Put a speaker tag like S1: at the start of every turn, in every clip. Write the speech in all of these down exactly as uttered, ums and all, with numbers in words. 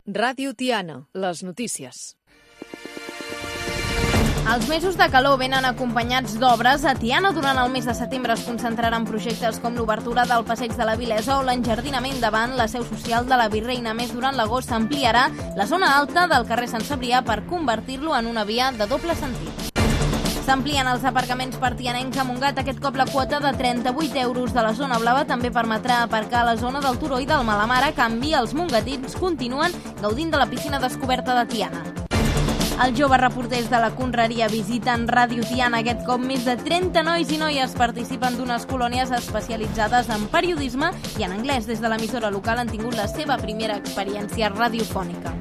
S1: Ràdio Tiana, les notícies.
S2: Els mesos de calor venen acompanyats d'obres. A Tiana, durant el mes de setembre, es concentraran projectes com l'obertura del Passeig de la Vilesa o l'enjardinament davant la seu social de la Virreina. A més, durant l'agost s'ampliarà la zona alta del carrer Sant Cebrià per convertir-lo en una via de doble sentit. S'amplien els aparcaments per tianencs a Montgat. Aquest cop la quota de trenta-vuit euros de la zona blava també permetrà aparcar a la zona del Turó i del Malamar. A canvi, els mongatins continuen gaudint de la piscina descoberta de Tiana. Els joves reporters de la Conreria visiten Ràdio Tiana. Aquest cop més de trenta nois i noies participen d'unes colònies especialitzades en periodisme i en anglès. Des de l'emissora local han tingut la seva primera experiència radiofònica.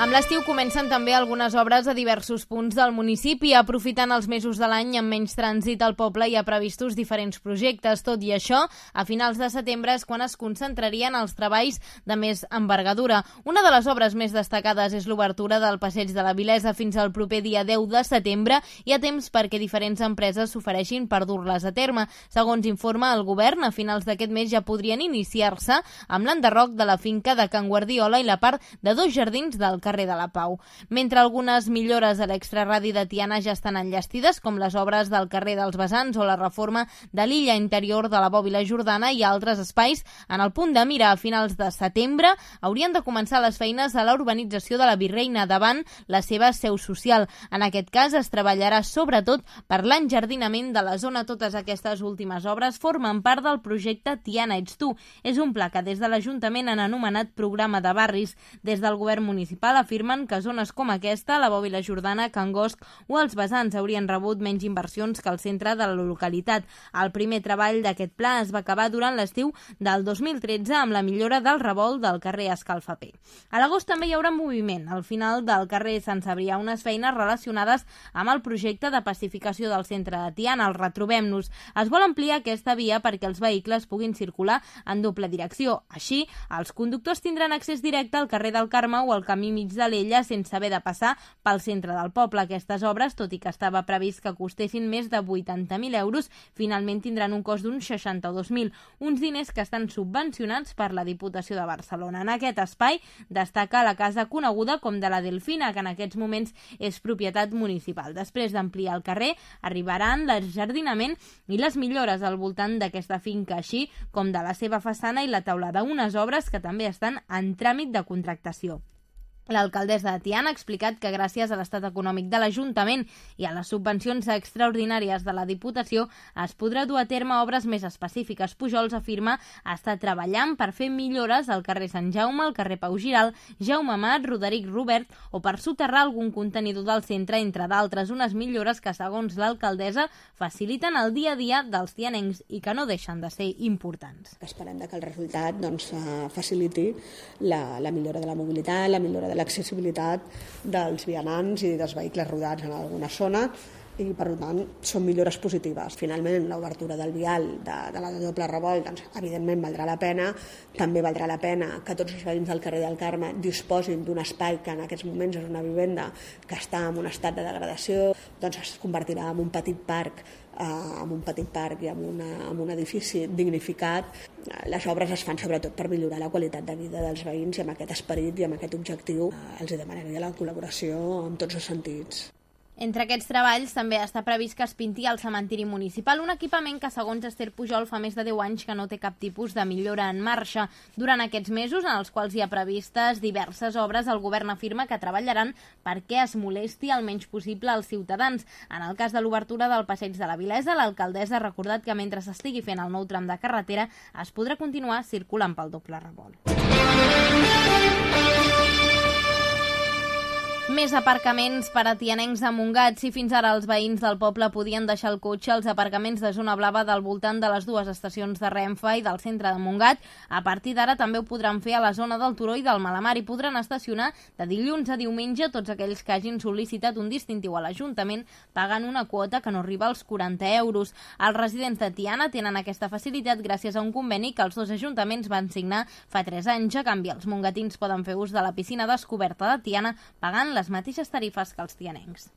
S2: Amb l'estiu comencen també algunes obres a diversos punts del municipi. Aprofitant els mesos de l'any amb menys trànsit al poble, hi ha previstos diferents projectes. Tot i això, a finals de setembre és quan es concentrarien els treballs de més envergadura. Una de les obres més destacades és l'obertura del Passeig de la Vilesa. Fins al proper dia deu de setembre hi ha temps perquè diferents empreses s'ofereixin per dur-les a terme. Segons informa el govern, a finals d'aquest mes ja podrien iniciar-se amb l'enderroc de la finca de Can Guardiola i la part de dos jardins del carrer de la Pau. Mentre algunes millores a l'extraradi de Tiana ja estan enllestides, com les obres del carrer dels Besants o la reforma de l'illa interior de la Bòbila Jordana i altres espais, en el punt de mira a finals de setembre haurien de començar les feines a la urbanització de la Virreina davant la seva seu social. En aquest cas es treballarà sobretot per l'enjardinament de la zona. Totes aquestes últimes obres formen part del projecte Tiana Ets Tu. És un pla que des de l'Ajuntament han anomenat Programa de Barris. Des del govern municipal afirmen que zones com aquesta, la Bòbila Jordana, Can Gosc o els Besants haurien rebut menys inversions que el centre de la localitat. El primer treball d'aquest pla es va acabar durant l'estiu del dos mil tretze amb la millora del revolt del carrer Escalfaper. A l'agost també hi haurà moviment al final del carrer Sant Cebrià, unes feines relacionades amb el projecte de pacificació del centre de Tiana, el Retrobem-nos. Es vol ampliar aquesta via perquè els vehicles puguin circular en doble direcció. Així, els conductors tindran accés directe al carrer del Carme o al camí mig de l'Ella sense haver de passar pel centre del poble. Aquestes obres, tot i que estava previst que costessin més de vuitanta mil euros, finalment tindran un cost d'uns seixanta-dos mil, uns diners que estan subvencionats per la Diputació de Barcelona. En aquest espai destaca la casa coneguda com de la Delfina, que en aquests moments és propietat municipal. Després d'ampliar el carrer, arribaran l'enjardinament i les millores al voltant d'aquesta finca, així com de la seva façana i la teulada, unes obres que també estan en tràmit de contractació. L'alcaldessa de Tiana ha explicat que gràcies a l'estat econòmic de l'Ajuntament i a les subvencions extraordinàries de la Diputació es podrà dur a terme obres més específiques. Pujols afirma estar treballant per fer millores al carrer Sant Jaume, al carrer Pau Giral, Jaume Amat, Roderic Robert o per soterrar algun contenidor del centre, entre d'altres, unes millores que, segons l'alcaldessa, faciliten el dia a dia dels tianencs i que no deixen de ser importants.
S3: Esperem que el resultat doncs, faciliti la, la millora de la mobilitat, la millora de l'accessibilitat dels vianants i dels vehicles rodats en alguna zona i, per tant, són millores positives. Finalment, l'obertura del vial de, de la doble revolt, doncs, evidentment, valdrà la pena. També valdrà la pena que tots els veïns del carrer del Carme disposin d'un espai que en aquests moments és una vivenda que està en un estat de degradació, doncs es convertirà en un petit parc amb un petit parc i amb, una, amb un edifici dignificat. Les obres es fan sobretot per millorar la qualitat de vida dels veïns i amb aquest esperit i amb aquest objectiu els demanaria la col·laboració en tots els sentits.
S2: Entre aquests treballs també està previst que es pinti el cementiri municipal, un equipament que, segons Esther Pujol, fa més de deu anys que no té cap tipus de millora en marxa. Durant aquests mesos, en els quals hi ha previstes diverses obres, el govern afirma que treballaran perquè es molesti el menys possible als ciutadans. En el cas de l'obertura del Passeig de la Vilesa, l'alcaldessa ha recordat que mentre s'estigui fent el nou tram de carretera es podrà continuar circulant pel doble revolt. Més aparcaments per a tianencs a Montgat. Si fins ara els veïns del poble podien deixar el cotxe als aparcaments de zona blava del voltant de les dues estacions de Renfe i del centre de Montgat, a partir d'ara també ho podran fer a la zona del Turó i del Malamar i podran estacionar de dilluns a diumenge tots aquells que hagin sol·licitat un distintiu a l'Ajuntament pagant una quota que no arriba als quaranta euros. Els residents de Tiana tenen aquesta facilitat gràcies a un conveni que els dos ajuntaments van signar fa tres anys. A canvi, els mongatins poden fer ús de la piscina descoberta de Tiana pagant les mateixes tarifes que els tianencs.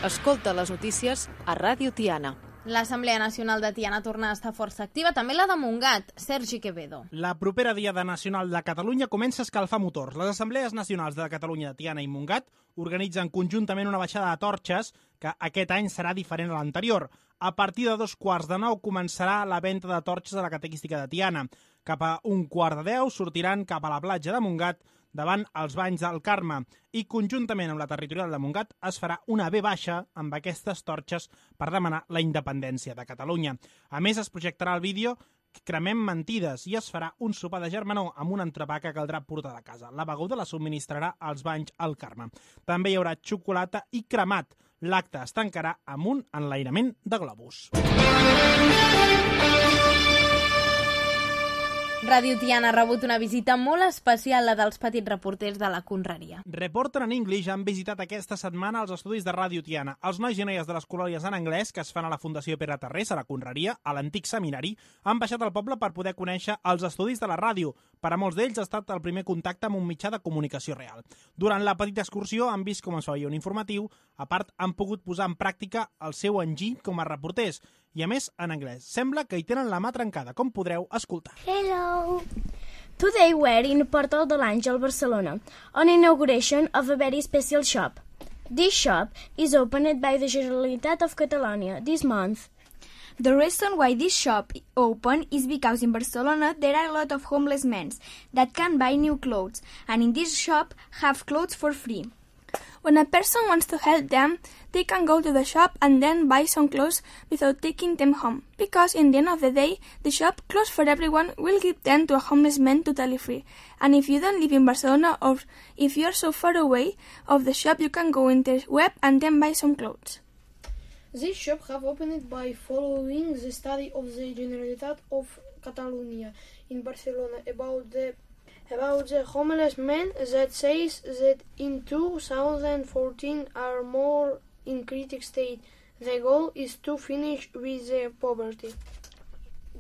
S1: Escolta les notícies a Ràdio Tiana.
S2: L'Assemblea Nacional de Tiana torna a estar força activa, també la de Montgat. Sergi Quevedo.
S4: La propera Diada Nacional de Catalunya comença a escalfar motors. Les Assemblees Nacionals de Catalunya, Tiana i Montgat organitzen conjuntament una baixada de torxes que aquest any serà diferent a l'anterior. A partir de dos quarts de nou començarà la venda de torxes a la catequística de Tiana. Cap a un quart de deu sortiran cap a la platja de Montgat davant els banys del Carme i conjuntament amb la territorial de Montgat es farà una ve baixa amb aquestes torxes per demanar la independència de Catalunya. A més, es projectarà el vídeo Cremem mentides i es farà un sopar de germanor amb un entrepà que caldrà portar de casa. La beguda la subministrarà als banys al Carme. També hi haurà xocolata i cremat. L'acte es tancarà amb un enlairament de globus.
S2: Ràdio Tiana ha rebut una visita molt especial, la dels petits reporters de la Conreria.
S4: Reporter en English han visitat aquesta setmana els estudis de Ràdio Tiana. Els nois i noies de les colònies en anglès que es fan a la Fundació Pere Tarrés, a la Conreria, a l'antic seminari, han baixat al poble per poder conèixer els estudis de la ràdio. Per a molts d'ells ha estat el primer contacte amb un mitjà de comunicació real. Durant la petita excursió han vist com es feia un informatiu, a part han pogut posar en pràctica el seu enginy com a reporters, i a més en anglès. Sembla que hi tenen la mà trencada, com podreu escoltar.
S5: Hello! Today we're in Portal de l'Àngel, Barcelona, on inauguration of a very special shop. This shop is opened by the Generalitat of Catalonia this month.
S6: The reason why this shop opened is because in Barcelona there are a lot of homeless men that can buy new clothes, and in this shop have clothes for free. When a person wants to help them, they can go to the shop and then buy some clothes without taking them home, because in the end of the day, the shop Clothes for Everyone will give them to a homeless man totally free. And if you don't live in Barcelona or if you are so far away of the shop, you can go in the web and then buy some clothes.
S7: This shop have opened by following the study of the Generalitat of Catalonia in Barcelona about the about the homeless men that says that in two thousand fourteen are more in critical state. The goal is to finish with the poverty.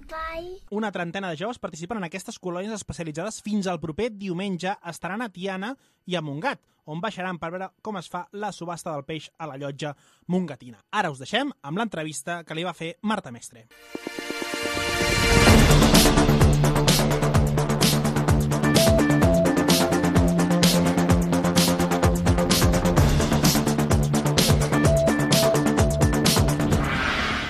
S5: Bye.
S4: Una trentena de joves participen en aquestes colònies especialitzades fins al proper diumenge. Estaran a Tiana i a Montgat, on baixaran per veure com es fa la subhasta del peix a la llotja montgatina. Ara us deixem amb l'entrevista que li va fer Marta Mestre.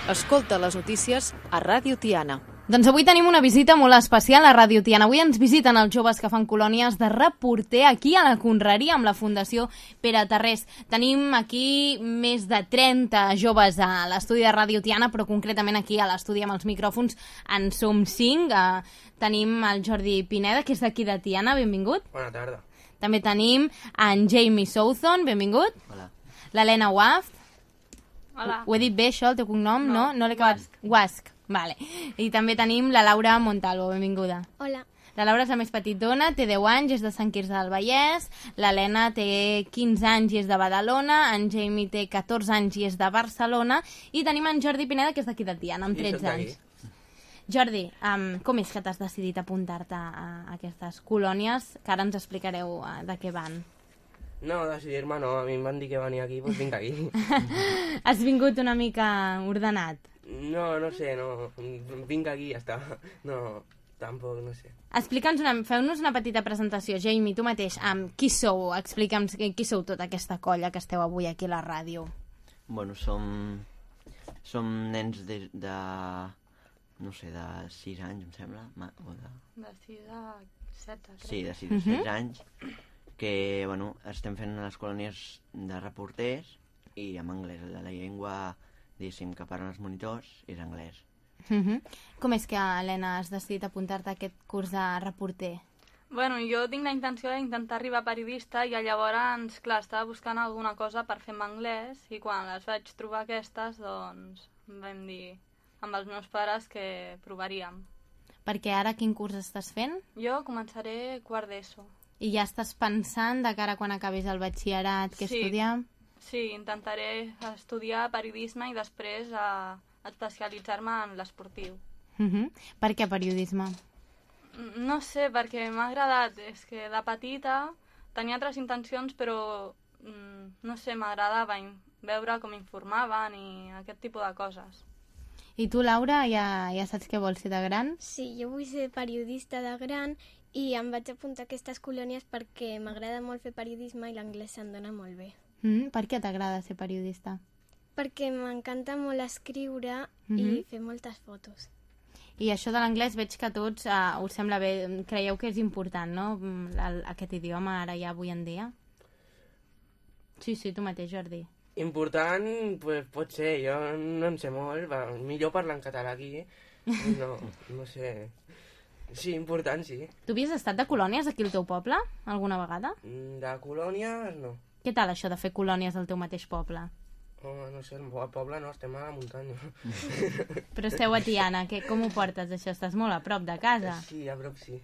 S1: Escolta les notícies a Ràdio Tiana.
S2: Doncs avui tenim una visita molt especial a Ràdio Tiana. Avui ens visiten els joves que fan colònies de reporter aquí a la Conreria amb la Fundació Pere Tarrés. Tenim aquí més de trenta joves a l'estudi de Ràdio Tiana, però concretament aquí a l'estudi amb els micròfons en som cinc. Uh, tenim el Jordi Pineda, que és d'aquí de Tiana, benvingut.
S8: Bona tarda.
S2: També tenim en Jamie Southon, benvingut.
S8: Hola.
S2: L'Helena Waft.
S9: Hola.
S2: Ho he dit bé, això, el teu cognom, no?
S9: No,
S2: no l'he acabat. Guasc. Vale. I també tenim la Laura Montalvo, benvinguda.
S5: Hola.
S2: La Laura és la més petitona, té deu anys, és de Sant Quirze del Vallès. L'Helena té quinze anys i és de Badalona. En Jamie té catorze anys i és de Barcelona. I tenim en Jordi Pineda, que és d'aquí de Tiana, amb tretze anys. Jordi, um, com és que t'has decidit apuntar-te a aquestes colònies? Que ara ens explicareu uh, de què van.
S8: No, decidir-me no, a mi em van dir que venia aquí, doncs vinc aquí.
S2: Has vingut una mica ordenat?
S8: No, no sé, no, vinc aquí i ja està. No, tampoc, no sé.
S2: Explica'ns una, feu-nos una petita presentació. Jamie, tu mateix, um, qui sou? Explica'ns qui sou tota aquesta colla que esteu avui aquí a la ràdio.
S10: Bueno, som, som nens de, de, no sé, de sis anys, em sembla. O de...
S9: De sis a set, crec.
S10: Sí, de sis a set anys. Que, bueno, estem fent les colònies de reporters i en anglès. La, la llengua, diguéssim, que parlen els monitors és anglès.
S2: Uh -huh. Com és que, Helena, has decidit apuntar-te a aquest curs de reporter?
S9: Bueno, jo tinc la intenció d'intentar arribar a periodista i llavors, clar, estava buscant alguna cosa per fer en anglès i quan les vaig trobar aquestes, doncs vam dir amb els meus pares que provaríem.
S2: Perquè ara quin curs estàs fent?
S9: Jo començaré quart d'ESO.
S2: I ja estàs pensant de cara quan acabis el batxillerat què
S9: sí.
S2: estudiar?
S9: Sí, intentaré estudiar periodisme i després a especialitzar-me en l'esportiu.
S2: Uh -huh. Per què periodisme?
S9: No sé, perquè m'ha agradat. És que de petita tenia altres intencions, però no sé, m'agradava veure com informaven i aquest tipus de coses.
S2: I tu, Laura, ja, ja saps què vols ser de gran?
S5: Sí, jo vull ser periodista de gran i em vaig apuntar a aquestes colònies perquè m'agrada molt fer periodisme i l'anglès se'm dona molt bé.
S2: Mm, per què t'agrada ser periodista?
S5: Perquè m'encanta molt escriure
S2: Mhm.
S5: i fer moltes fotos.
S2: I això de l'anglès veig que a tots uh, us sembla bé. Creieu que és important, no? Mm, el, aquest idioma ara ja avui en dia? Sí, sí, tu mateix, Jordi.
S8: Important, pues, pot ser, jo no en sé molt, va, millor parlar en català aquí, no, no sé. Sí, important, sí.
S2: Tu havies estat de colònies aquí al teu poble, alguna vegada?
S8: De colònies, no.
S2: Què tal això de fer colònies al teu mateix poble?
S8: Oh, no sé, al poble no, estem a la muntanya.
S2: Però esteu a Tiana, que, com ho portes això? Estàs molt a prop de casa.
S8: Sí, a prop sí.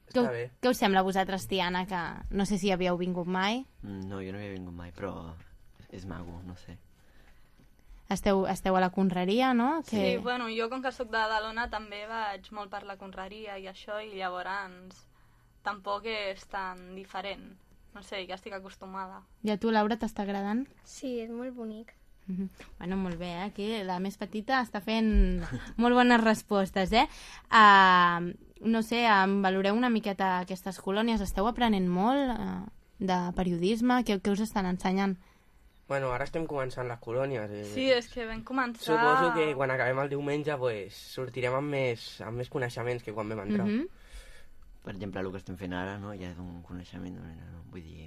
S2: Què,
S8: Està bé.
S2: què us sembla a vosaltres, Tiana, que no sé si havíeu vingut mai?
S10: No, jo no havia vingut mai, però és maco, no sé.
S2: Esteu, esteu a la conreria, no?
S9: Sí, bueno, jo com que sóc de Badalona també vaig molt per la conreria i això, i llavors tampoc és tan diferent. No sé, ja estic acostumada.
S2: I a tu, Laura, t'està agradant?
S5: Sí, és molt bonic.
S2: Mm-hmm. Bueno, molt bé, eh? Aquí la més petita està fent molt bones respostes, eh? Uh, no sé, um, valoreu una miqueta aquestes colònies. Esteu aprenent molt uh, de periodisme? Què, què us estan ensenyant?
S8: Bueno, ara estem començant les colònies. Eh?
S9: Sí, és que vam començar...
S8: Suposo que quan acabem el diumenge pues, sortirem amb més, amb més coneixements que quan vam entrar.
S2: Mm-hmm.
S10: Per exemple, el que estem fent ara, no? Ja és un coneixement, no? Vull dir,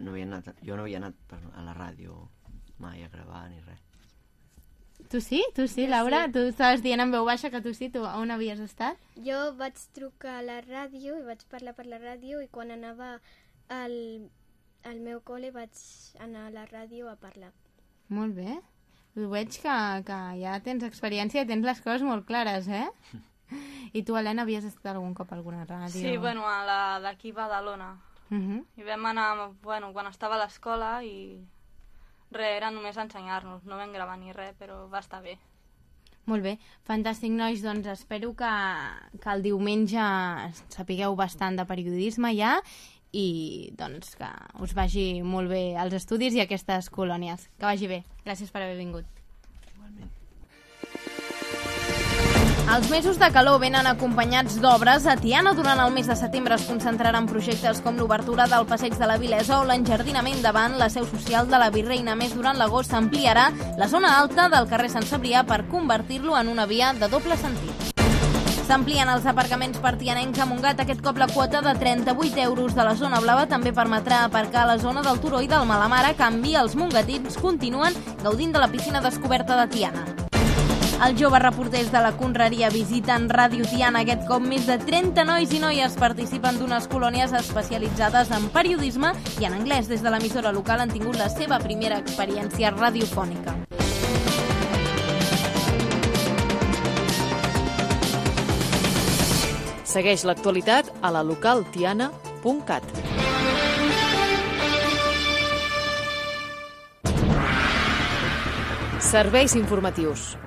S10: no havia anat, jo no havia anat a la ràdio mai a gravar ni res.
S2: Tu sí? Tu sí, Laura? Sí. Tu estaves dient en veu baixa que tu sí. Tu on havies estat?
S5: Jo vaig trucar a la ràdio i vaig parlar per la ràdio i quan anava al, al meu col·le vaig anar a la ràdio a parlar.
S2: Molt bé. Ho veig que, que ja tens experiència i tens les coses molt clares, eh? I tu, Helena, havies estat algun cop a alguna ràdio?
S9: Sí, bueno, a la d'aquí Badalona.
S2: Uh-huh.
S9: I vam anar, bueno, quan estava a l'escola i res, era només ensenyar-nos, no vam gravar ni res, però va estar bé.
S2: Molt bé, fantàstic, nois, doncs espero que, que el diumenge sapigueu bastant de periodisme ja i doncs que us vagi molt bé als estudis i a aquestes colònies. Que vagi bé. Gràcies per haver vingut. Els mesos de calor venen acompanyats d'obres. A Tiana, durant el mes de setembre, es concentraran projectes com l'obertura del Passeig de la Vilesa o l'enjardinament davant la seu social de la Virreina. Més, durant l'agost s'ampliarà la zona alta del carrer Sant Cebrià per convertir-lo en una via de doble sentit. S'amplien els aparcaments per tianencs a Montgat. Aquest cop la quota de trenta-vuit euros de la zona blava també permetrà aparcar a la zona del Turó i del Malamar. A canvi, els mongatins continuen gaudint de la piscina descoberta de Tiana. Els joves reporters de la Conreria visiten Ràdio Tiana. Aquest cop més de trenta nois i noies participen d'unes colònies especialitzades en periodisme i en anglès. Des de l'emissora local han tingut la seva primera experiència radiofònica.
S1: Segueix l'actualitat a la local tiana punt cat. Serveis informatius.